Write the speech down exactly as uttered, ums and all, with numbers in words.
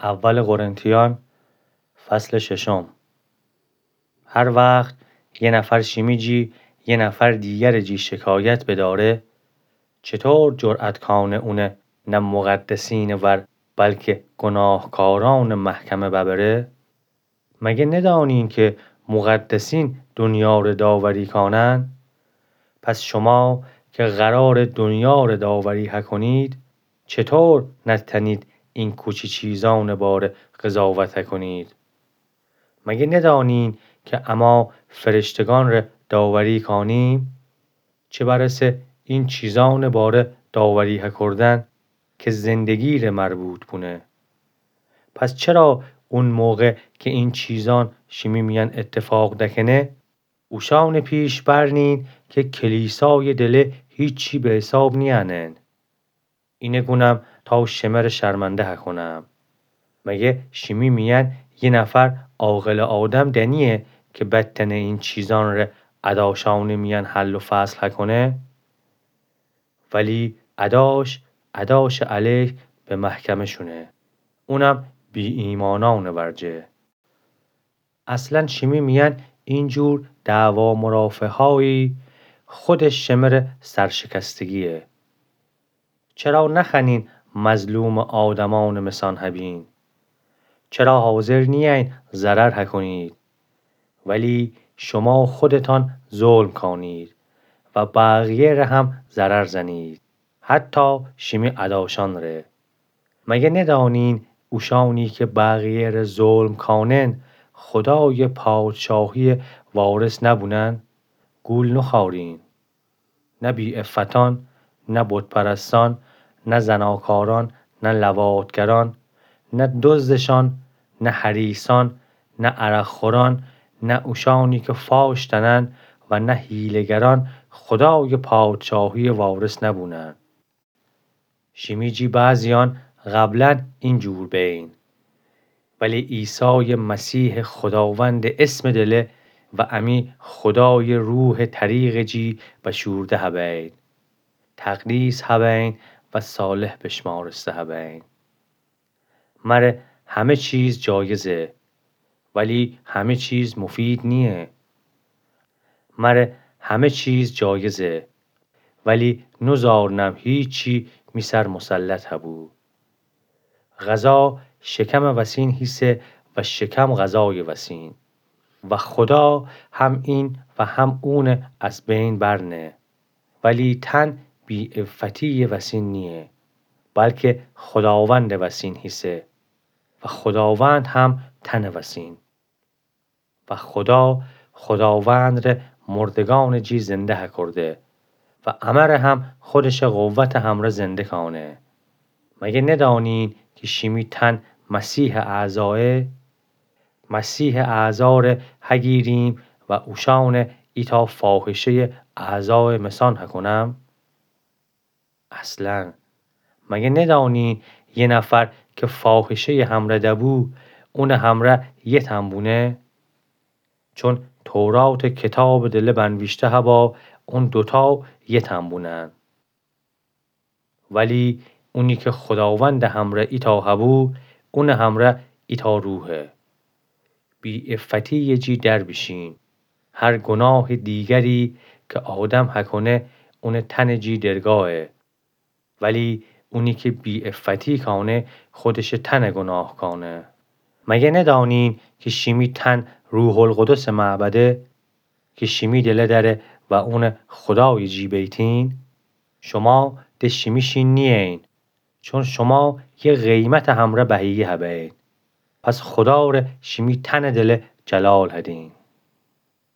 اول قرنتیان، فصل ششم. هر وخت یه نفر شیمی جی یه نفر دیگرٚ جی شکایت بداره، چطور جرأت کانه اونه نه مقدسینٚ ور، بلکه گناهکارانٚ محکمه ببره؟ مگه ندانین که مقدسین دنیا ره داوری کانن؟ پس شما که قراره دنیا ره داوری هکنید، چطور نتنید این کوچی چیزانٚ باره قضاوت هکنید؟ مگه ندانین که اما فرشتگان ره داوری کانیم؟ چه برسه این چیزانٚ باره داوری هکردن که زندگی ره مربوط بونه. پس چرا اون موقع که این چیزان شیمی میأن اتفاق دکنه، اوشانٚ پیش برنین که کلیسایٚ دله هیچی به حساب نیأنن؟ اینه گونم تا شمه ره شرمنده هکنم. مگه شیمی میأن یه نفر عاقلٚ آدم دنیه که بتنه این چیزان ره اداشانٚ میأن حل و فصل هکنه؟ ولی اداش، اداشٚ علیه به محکمه شونه، اونم بی‌ایمانانٚ ورجه. اصلاً شیمی میأن اینجور دعوا مرافعه‌هایی خودش شمه ره سرشکستگیه. چرا نخوأنین مظلومٚ آدمانٚ مسان هبین؟ چرا حاضر نیأین ضرر هکنید؟ ولی شما خودتان ظلم کانید و بقیه ره هم ضرر زنید، حتی شیمی اداشان ره. مگه ندانین اوشانی که بقیه ره ظلم کانن، خدایٚ پادشاهی‌یه وارث نبونن؟ گول نخوأرین. نه بی‌عفتان، نه بت‌پرستان، نه زناکاران، نه لواط‌گران، نه دزدشان، نه حریصان، نه عرق‌خوران، نه اوشانی که فاش دأنن و نه حیله‌گران خدایٚ پادشاهی‌یه وارث نبونن. شیمی جی بعضیان قبلاً اینجور بین، ولی عیسایٚ مسیحٚ خداوندٚ اسمٚ دله و امی خدایٚ روحٚ طریقٚ جی بشورده هبین، تقدیس هبین و صالح بشمارسته هبین. مره همه چیز جایزه، ولی همه چیز مفید نییه. مره همه چیز جایزه، ولی نوزارنم هیچی می سر مسلط هبو. غذا شکمٚ وسین هیسه و شکم غذایٚ وسین، و خدا هم این و هم اونه از بین برنه. ولی تن بی‌عفتی‌یٚ وسین نییه، بلکه خداوندٚ وسین هیسه و خداوند هم تنٚ وسین. و خدا خداوند ره مردگانٚ جی زنده هکرده و امه ره هم خودشٚ قوتٚ همرأ زنده کانه. مگه ندانین که شیمی تن مسیحٚ اعضایه؟ مسیحٚ اعضا ره هگیریم و اوشانه ایتأ فاحشه‌یٚ اعضایٚ مسان هکنم؟ اصلاً مگه ندانین یه نفر که فاحشه‌یٚ همرأ دبو، اونٚ همرأ یه تن بونه؟ چون توراتٚ کتابٚ دله بنویشته هبا اون دوتأ یه تن بونن. ولی اونی که خداوندٚ همرأ ایتأ هبو، اونٚ همرأ ایتأ روحه. بی‌عفتی‌یٚ جی در بیشین. هر گناهٚ دیگری که آدم هکنه، اونٚ تنٚ جی درگاهه. ولی اونی که بی‌عفتی کانه، خودشٚ تن گناه کانه. مگه ندانین که شیمی تن روح‌القدسٚ معبده، که شیمی دله دأره و اون خدایٚ جی بیتین؟ شما د شیمی شین نیین، چون شما یه قیمتٚ همرأ بهیه هبین. پس خدا ره شیمی تنٚ دله جلال هدین.